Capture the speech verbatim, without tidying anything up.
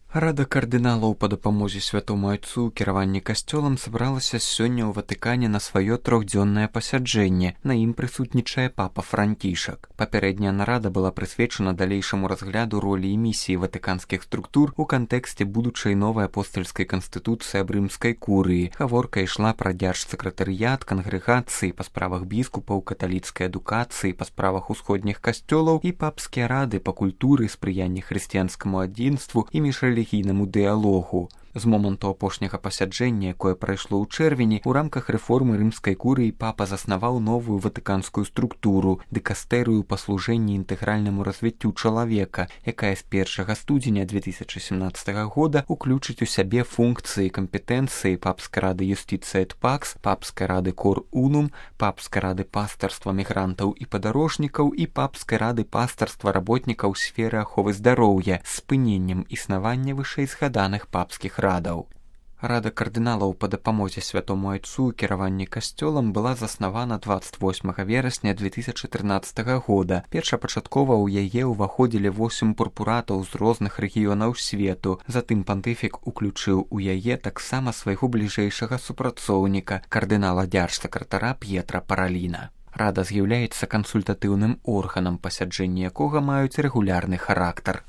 Рада кардыналаў па дапамозе святому айцу ў кіраванні касцёлам сабралася сёння ў Ватыкане на сваё трохдзённае пасяджэнне. На ім прысутнічае папа Францішак. Папярэдняя нарада была прысвечана далейшаму разгляду ролі і місіі ватыканскіх структур у кантэксце будучай новай апостальскай канстытуцыі аб рымскай курыі. Гаворка ішла пра дзяржсакратарыят, кангрэгацыі па справах біскупаў, каталіцкай адукацыі па справах усходніх касцёлаў і папскія рады па культуры, спрыянні хрысціянскаму адзінству і міжрэлігійнаму дыялогу. З моманту апошняга пасяджэння, якое прайшло ў чэрвені, у рамках рэформы рымскай курыі папа заснаваў новую ватыканскую структуру – дыкастэрыю па служэнні інтэгральнаму развіццю чалавека, якая з першага студзеня две тысячы семнаццатага года уключыць у сябе функцыі і кампетэнцыі папскай рады Юстиция эт Пакс, папскай рады Кор Унум, папскай рады пастарства мігрантаў і падарожнікаў і папскай рады пастарства работнікаў сферы аховы здароўя з спыненнем існавання вышэйзгаданых папскіх радаў. Рада кардыналаў па дапамозе святому айцу ў кіраванні касцёлам была заснавана дваццаць восьмага верасня две тысячы трынаццатага года. Першапачаткова ў яе ўваходзілі восем пурпуратаў з розных рэгіёнаў свету. Затым пантыфік уключыў у яе таксама свайго бліжэйшага супрацоўніка, кардынала дзяржсакратара П'етра Параліна. Рада з'яўляецца кансультатыўным органам, пасяджэнні якога маюць рэгулярны характар.